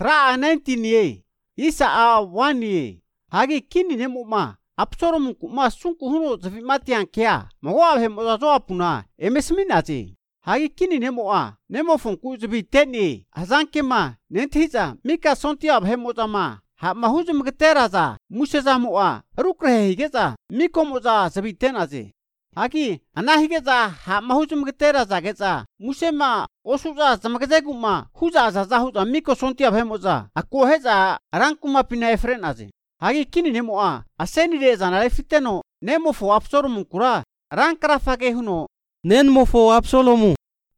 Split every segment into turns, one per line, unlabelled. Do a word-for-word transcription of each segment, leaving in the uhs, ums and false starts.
tra nineteen ye isa a one ye hagi kini nemo ma Absalom kuma sungku huno zafi matian kia mawa he mo zo apuna emesminaji hagi kini nemo a nemo fonku zafi teni azanke ma nentiza mika sontia he mo zama ha mahuzum geteraza museza mo a rukre higeza miko mo za zafi tenaji hagi anahigeza ha mahuzum geteraza geza musema osuza zamageze kuma huza za huza miko sontia he mo za akoheza rankuma pina efrenaji hagi kini nemo a aseni de zanale fiteno nemo fo Absalom kura rankara fage huno
nen mo fo Absalomu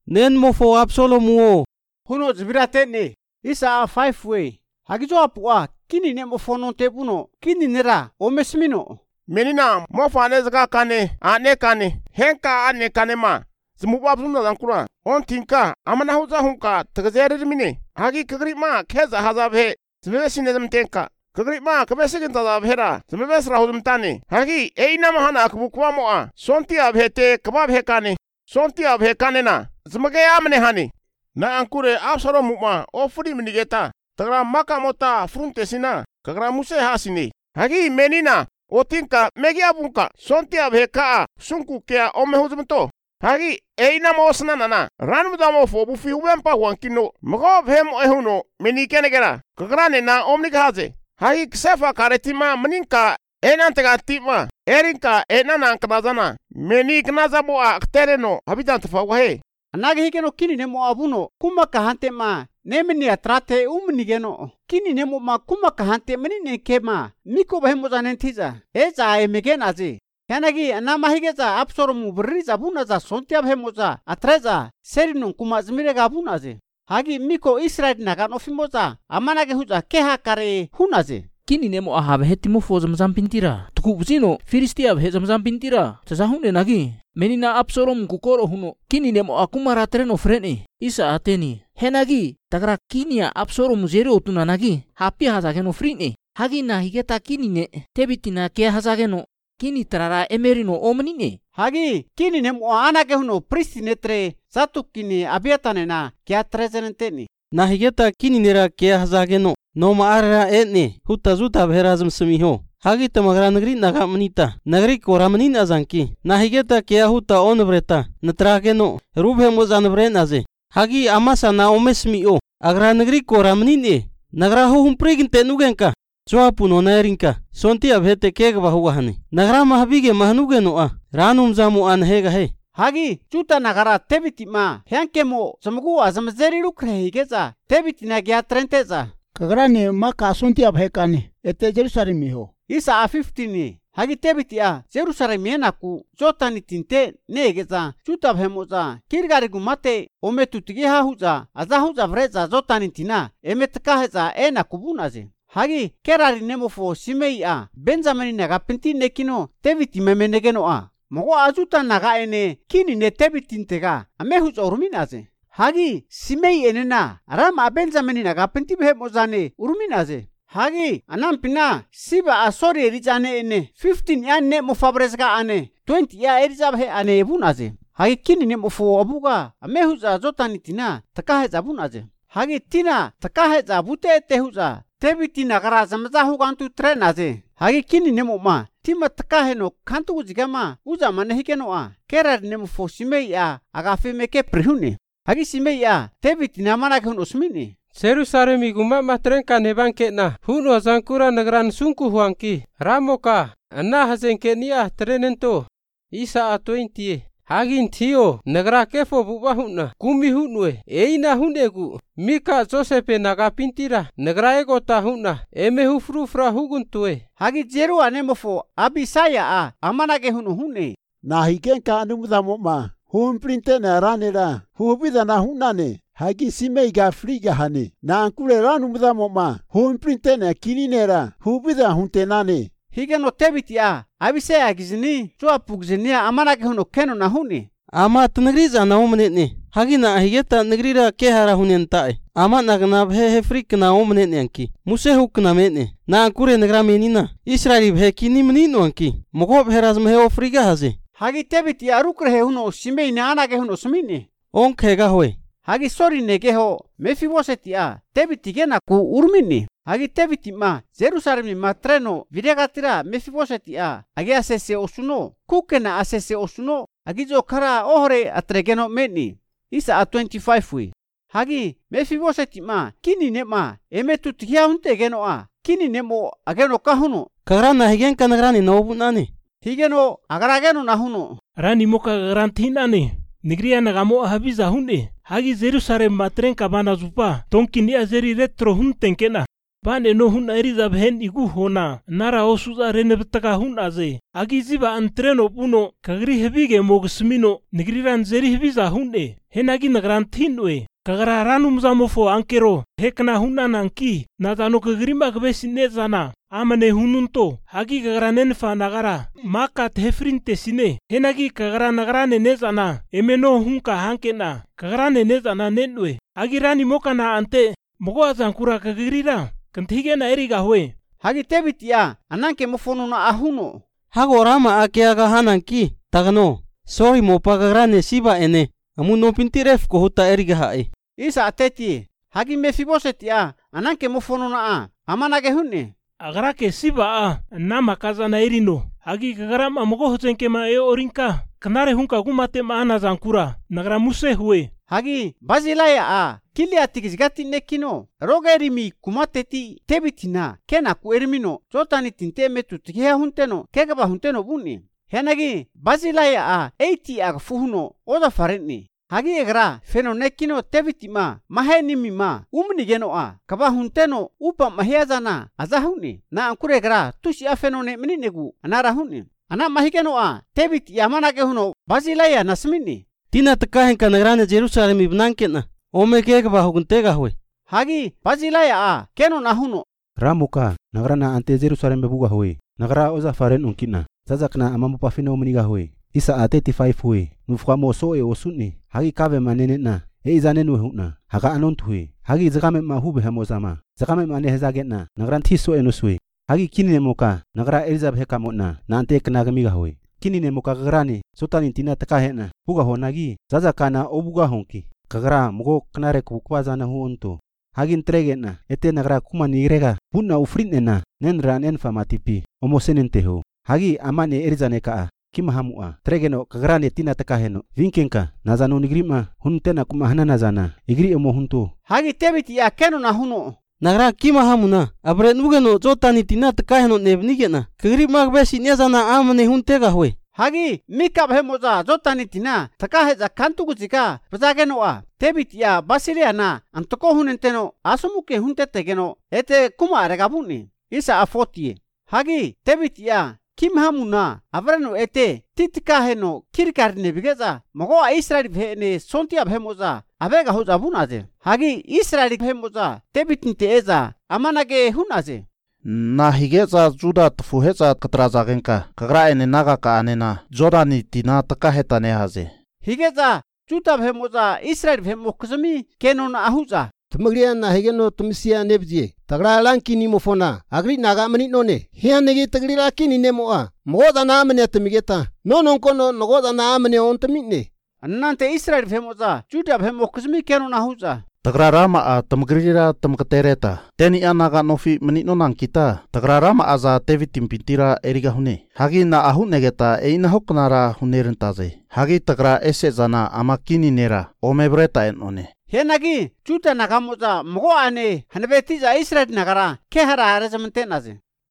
nen mo fo Absalomu
huno zbirate ne isa five way hagi jo apua kini nemo fo non tebuno kini nera o mesmino
menina mo fa ne zaka kane ane kane henka ane kane ma zmuba Absalom zankura on tinka amana huza hunka tgazere mine hagi kagri ma kheza hazabhe zbesine zamtenka kagri ma kabesegin tada bhera zmebes rahudum tani hagi eina mahana akbukwa moa sonti abhete kabab hekane sonti abhekane na zmage amne hani na ankure Absalom ma ofuri minigeta tagra maka mota fruntesina kagra muse hasini hagi menina otinka megi abunka sonti abheka sunku kya omehuzumto hagi eina mosna nana ranmudamo fobu fi ubempa wankino mago bhem ehuno menikenegera kagra ne na omnigaze hagi ksefa karetima meninka enantega tima erinka enana knazana meni knazabo aktereno habitant fawahe
anage higeno kini nemo abuno kuma kahante ma nemeni atrate umnigeno kini nemo ma kuma kahante menine kema miko bahemo zanentiza eza emegenazi yanagi anama higeza Absalom briza bunaza sontia bahemo atreza serino kuma zmirega bunazi hagi miko Israel nagan ofimoza amanage huza keha kare hunaze
kini nemo ahab hetimo fo zamzam pintira tuku buzino Filistia he zamzam pintira tasahune nagi menina Absalom kukoro huno kini nemo akumara treno frene isa ateni henagi tagra kinia Absalom zero tuna nagi hapi hazageno frine hagi na higeta kini ne tebitina ke hazageno kini trara emerino omnine
hagi kini nemo anage huno pristinetre satu kini abiatane na kya trezenenteni
na higeta kini nera ke hazageno no maara etne hutta zuta bherazam smiho hagi tamagra nagri naga manita nagri koramanin azanki na higeta ke huta onbreta natrageno rubhe mozanbre naze hagi amasa na omesmio agra nagri koramanin e nagra hu humpregin tenugenka Swapuno nairinka sonti abhete kega bahugahane nagra mahbige mahnugeno a ranum zamu an hega he
hagi chuta nagara tebiti ma henkemo samgu azamzeri lukre higeza tebiti na gya trenteza
kagrane ma kasunti abhekane ete Jerusalem ho
isa a fifteen hagi tebiti a Jerusalem yenaku jotani tinte negeza chuta abhemoza kirgari gumate ometutigi ha huza azahuza vreza jotani tina emetkaheza enaku bunaze hagi kerari nemofo Simei a Benjamin naga pinti nekino tebiti memenegeno a mogo ajuta naga ene kini ne tebitintega amehuz oruminaze hagi Simei enena rama Benjamin naga pinti behemozane uruminaze hagi anampina siba asori erizane ene fifteen ya ne mofabresga ane twenty ya erizabhe ane ebunaze hagi kini ne mofo abuga amehuz ajotani tina takaheza bunaze hagi tina takaheza bute tehuza tebiti nagara zamza hugantu trenaze hagi kini nemo ma tima takaheno kantu ujigama uza manehikeno a kerar nemo fo Simei a agafe meke prihune hagi Simei a tebiti namana kun usmini
Jerusalem guma matrenka nebanke na huno zankura nagran sunku huanki ramoka anna hazenke nia trenento isa a twenty hagin thio nagra kefo buba hunna kumi hunwe eina hunegu mika Josepe naga pintira nagra egota hunna eme hufru fra huguntue
hagi jeru anemofo Abisaya a amanage hunu hune
na higenka anumudamo ma hum printe na ranera hubida na hunane hagi Simei ga friga hane na ankure ranumudamo ma hum printe na kirinera hubida huntenane
higeno tebiti a Abisaya gizini joa pugzinia amanage hunu keno na hune
ama tnagriza na omnetne hagina higeta nagrira kehara hunentae ama nagna bhe hefrik na omnetne anki muse hukna mene na ankure nagra menina Israeli bhe kini menino anki mogo bheraz mehe ofriga haze
hagi tebiti arukre huno Simei na anage huno smine
onkhega hoy
Hagi sori negeho Mefibosetia David gena ku urmini. Hagi David ma Jerusalem ma treno videgatira Mefibosetia agi asese osuno kukena asese osuno agi jo kara ohore atregeno meni. Isa a twenty-five wi. Hagi Mefibosetima kini nema emetu tigia hunte geno a kini nemo ageno kahuno.
Kagrana higen kanagrani nobunani.
Higeno agarageno nahuno.
Rani moka garantinane. Nigria nagamo habiza hunde. Hagi Jerusalem matren kabana zupa. Tonkini azeri retro huntenkena. Bane no hun eriza bhen igu hona. Nara osuza renebtaka hun aze. Agi ziba antreno puno. Kagri hebige mogsmino. Nigriran zeri hebiza hunde. Henagi nagrantinwe. Kagara ranum zamofo ankero. Hekna hunan anki. Natano kagrimba gbesine zana. Amane hununto. Hagi kagara nenfa nagara. Maka tehefrinte sine. Henagi kagara nagara nenezana. Emeno hunka hankena. Kagara nenezana nenwe. Hagi rani moka na ante. Mogo azankura kagirira. Kantige na eriga hwe.
Hagi David ya ananke mofono na ahuno.
Hago rama ake aga hananki. Tagano. Sorry mo pagagrane siba ene. Amu no pintiref ko huta eriga hae.
Isa ateti. Hagi Mefibosetia ananke mofono na a. Amanage hunne.
Agarake siba a. Nama kaza na erino. Hagi kagarama mogo hotenke ma e orinka. Kanare hunka gumate maana zankura. Nagara muse hwe.
Hagi Bazilaya a. Kili atikizgati nekino. Roga erimi kumateti tebitina. Kena ku erimino. Zotani tinte metu tikia hunteno. Kegaba hunteno buni. Henagi Bazilaya a. Eiti aga fuhuno. Oda farentni. Hagi egra feno nekino tebitima. Mahenimi ma. Umni geno a. Kaba hunteno. Upa mahiazana. Azahuni. Na ankure egra. Tushi a feno ne meninegu. Anara huni. Ana mahigeno a. Tebit yamanage huno. Bazilaya nasmini.
Tina takahen kanagrane Jerusalem ibnankena. Ome kega ba hukuntega hwe.
Hagi Bazilaya a. Keno nahuno.
Ramuka nagrana ante Jerusalem bebuga hwe. Nagra oza faren unkina. Zazakna amamu pafino meniga hwe. Isa a thirty-five hwe. Nufkamo so e osuni. Hagi kave manene na. E izanenu huna. Haga anon hwe. Hagi zakame ma hube hamozama. Zakame ma nehezagetna. Nagran tiso enuswe. Hagi kini nemoka. Nagra Elizabeth kamotna. Na ante knagamiga hwe. Kini nemoka gagrani. Sotani tina takahena. Buga honagi. Zazakana obuga honki. Kagara mugo kanare kukwazana huonto. Hagi entregetna. Ete nagra kuma nirega. Bunna ufrinena. Nenra nenfa matipi. Omosenenteho. Hagi amane erizaneka. Kima hamua. Tregeno kagrane tina takaheno. Vinkenka. Nazano nigrima. Huntena kuma hanana zana. Igri emo hunto.
Hagi tebiti ya keno na huno.
Nagra kima hamuna. Abre nugeno zotani tina takaheno nebnigena. Kagri magbesi nyazana amane huntega hwe.
Hagi mikab hemoza zotani tina takaheza kantuguziga bazageno a. Tebit ya Basilia na antoko hunenteno asumuke huntetegeno ete kuma aregabuni. Isa a forty. Hagi tebit ya kim hamuna avreno ete titikaheno kirkarne bigeza mogo a Israel bhene sontia bhemoza abega hoza bunaze. Hagi Israel bhemoza tebitinte eza amanage hunaze.
Na higeza juda tfuheza katrazagenka kagra ene naga ka anena jorani tina takaheta ne haze.
Higeza juda bhemoza Israel bhemokzami kenon ahuza.
Tumagriya na higeno tumisia nebje tagra lankini mofona agri naga mani none hianegi tagri lakini nemoa moda na amne tumigeta nonon kono nogoda na amne ontamine
annante Israel bhemoza juda bhemokzami kenon ahuza.
Tagrarama a tamgrira tamkatereta. Teni anaga nofi menino nang kita. Tagrarama aza tevi timpintira eriga hune. Hagi na ahu negeta e ina hoknara hunerentaze. Hagi tagra ese zana amakini nera omebreta enone.
Henagi juta nagamoza mogo ane hanbetiza Israel nagara kehara arezamantenaze.